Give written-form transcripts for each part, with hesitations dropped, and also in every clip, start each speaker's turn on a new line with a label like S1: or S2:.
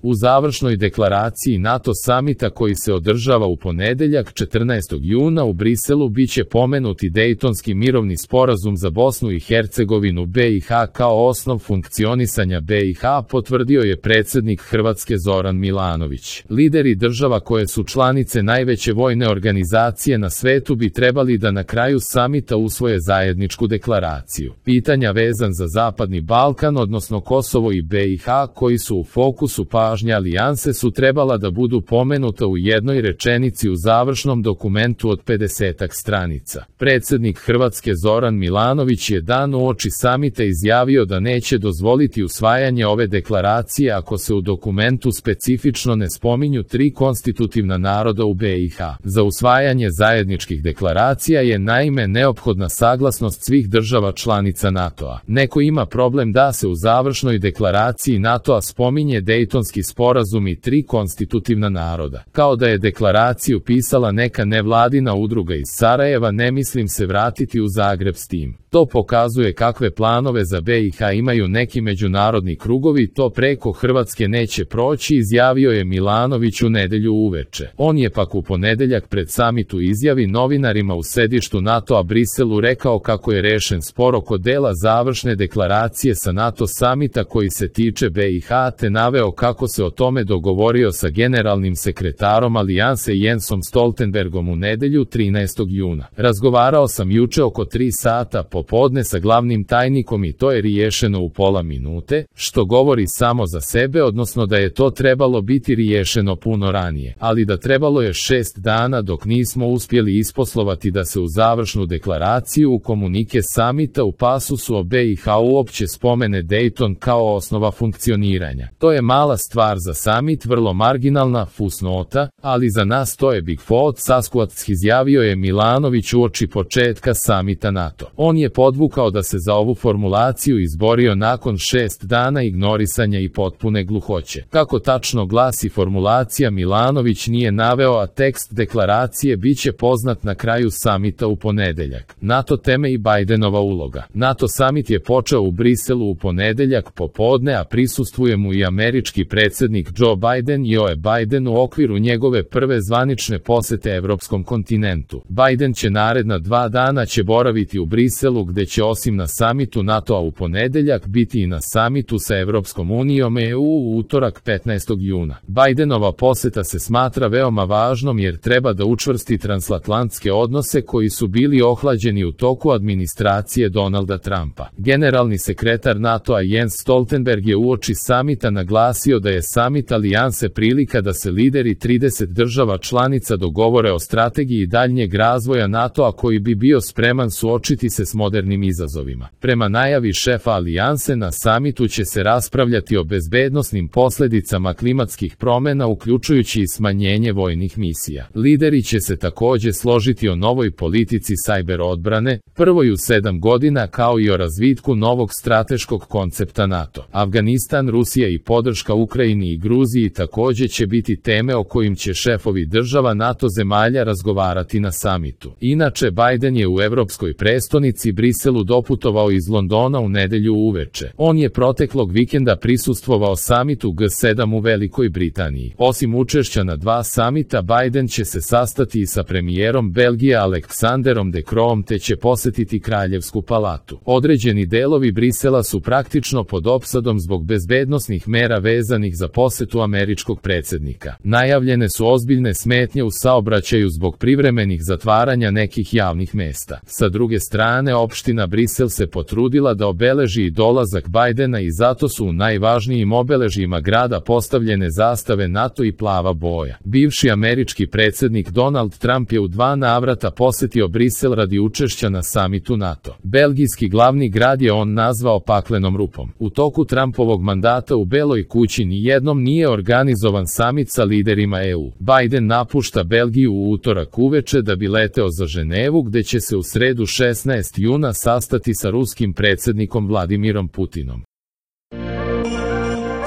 S1: U završnoj deklaraciji NATO samita koji se održava u ponedeljak 14. juna u Briselu biće pomenuti Dejtonski mirovni sporazum za Bosnu i Hercegovinu BiH kao osnov funkcionisanja BiH, potvrdio je predsjednik Hrvatske Zoran Milanović. Lideri država koje su članice najveće vojne organizacije na svetu bi trebali da na kraju samita usvoje zajedničku deklaraciju. Pitanja vezan za Zapadni Balkan, odnosno Kosovo i BiH, koji su u fokusu pažnje alijanse, su trebala da budu pomenuta u jednoj rečenici u završnom dokumentu od 50-ak stranica. Predsjednik Hrvatske Zoran Milanović je dan uoči samita izjavio da neće dozvoliti usvajanje ove deklaracije ako se u dokumentu specifično ne spominju 3 konstitutivna naroda u BiH. Za usvajanje zajedničkih deklaracija je naime neophodna saglasnost svih država članica NATO-a. Neko ima problem da se u završnoj deklaraciji NATO-a spominje Dejtonski sporazum i 3 konstitutivna naroda. Kao da je deklaraciju pisala neka nevladina udruga iz Sarajeva, ne mislim se vratiti u Zagreb s tim. To pokazuje kakve planove za BiH imaju neki međunarodni krugovi, to preko Hrvatske neće proći, izjavio je Milanović u nedjelju uveče. On je pak u ponedeljak pred samit u izjavi novinarima u sedištu NATO-a Briselu rekao kako je rešen spor oko dela završne deklaracije sa NATO samita koji se tiče BiH, te naveo kako se o tome dogovorio sa generalnim sekretarom alijanse Jensom Stoltenbergom u nedjelju 13. juna. Razgovarao sam juče oko 3 sata popodne sa glavnim tajnikom i to je riješeno u pola minute, što govori samo za sebe, odnosno da je to trebalo biti riješeno puno ranije, ali da trebalo je 6 dana dok nismo uspjeli isposlovati da se u završnu deklaraciju u komunike samita u pasusu o BiH uopće spomene Dejton kao osnova funkcioniranja. To je mala stvar za samit, vrlo marginalna fusnota, ali za nas to je Big Foot Sasquatch, izjavio je Milanović uoči početka samita NATO. On je podvukao da se za ovu formulaciju izborio nakon 6 dana ignorisanja i potpune gluhoće. Kako tačno glasi formulacija Milanović nije naveo, a tekst deklaracije biće poznat na kraju samita u ponedeljak. NATO teme i Bidenova uloga. NATO samit je počeo u Briselu u ponedeljak popodne, a prisustvuje mu i američki predsjednik Joe Biden. Joe Biden u okviru njegove prve zvanične posete evropskom kontinentu. Biden će naredna 2 dana boraviti u Briselu, gde će osim na samitu NATO-a u ponedeljak biti i na samitu sa Evropskom unijom EU u utorak 15. juna. Bidenova poseta se smatra veoma važnom jer treba da učvrsti transatlantske odnose koji su bili ohlađeni u toku administracije Donalda Trumpa. Generalni sekretar NATO-a Jens Stoltenberg je uoči samita naglasio da je samit alijanse prilika da se lideri 30 država članica dogovore o strategiji daljnjeg razvoja NATO-a koji bi bio spreman suočiti se s modernim izazovima. Prema najavi šefa alijanse, na samitu će se raspravljati o bezbednosnim posljedicama klimatskih promjena, uključujući i smanjenje vojnih misija. Lideri će se također složiti o novoj politici sajber odbrane, prvoj u 7 godina, kao i o razvitku novog strateškog koncepta NATO. Afganistan, Rusija i podrška Ukrajini i Gruziji također će biti teme o kojim će šefovi država NATO zemalja razgovarati na samitu. Inače, Biden je u evropskoj prestonici Briselu doputovao iz Londona u nedjelju uveče. On je proteklog vikenda prisustvovao samitu G7 u Velikoj Britaniji. Osim učešća na 2 samita, Biden će se sastati i sa premijerom Belgije Aleksanderom De Croom, te će posjetiti Kraljevsku palatu. Određeni delovi Brisela su praktično pod opsadom zbog bezbednosnih mera vezanih za posetu američkog predsjednika. Najavljene su ozbiljne smetnje u saobraćaju zbog privremenih zatvaranja nekih javnih mesta. Sa druge strane, opština Brisel se potrudila da obeleži i dolazak Bidena i zato su u najvažnijim obeležjima grada postavljene zastave NATO i plava boja. Bivši američki predsjednik Donald Trump je u 2 navrata posjetio Brisel radi učešća na samitu NATO. Belgijski glavni grad je on nazvao paklenom rupom. U toku Trumpovog mandata u Beloj kući ni jednom nije organizovan samit sa liderima EU. Biden napušta Belgiju u utorak uveče da bi leteo za Ženevu, gde će se u sredu 16. juna sastati sa ruskim predsjednikom Vladimirom Putinom.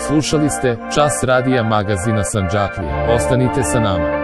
S1: Slušali ste Čas radija magazina Sandžaklija. Ostanite sa nama.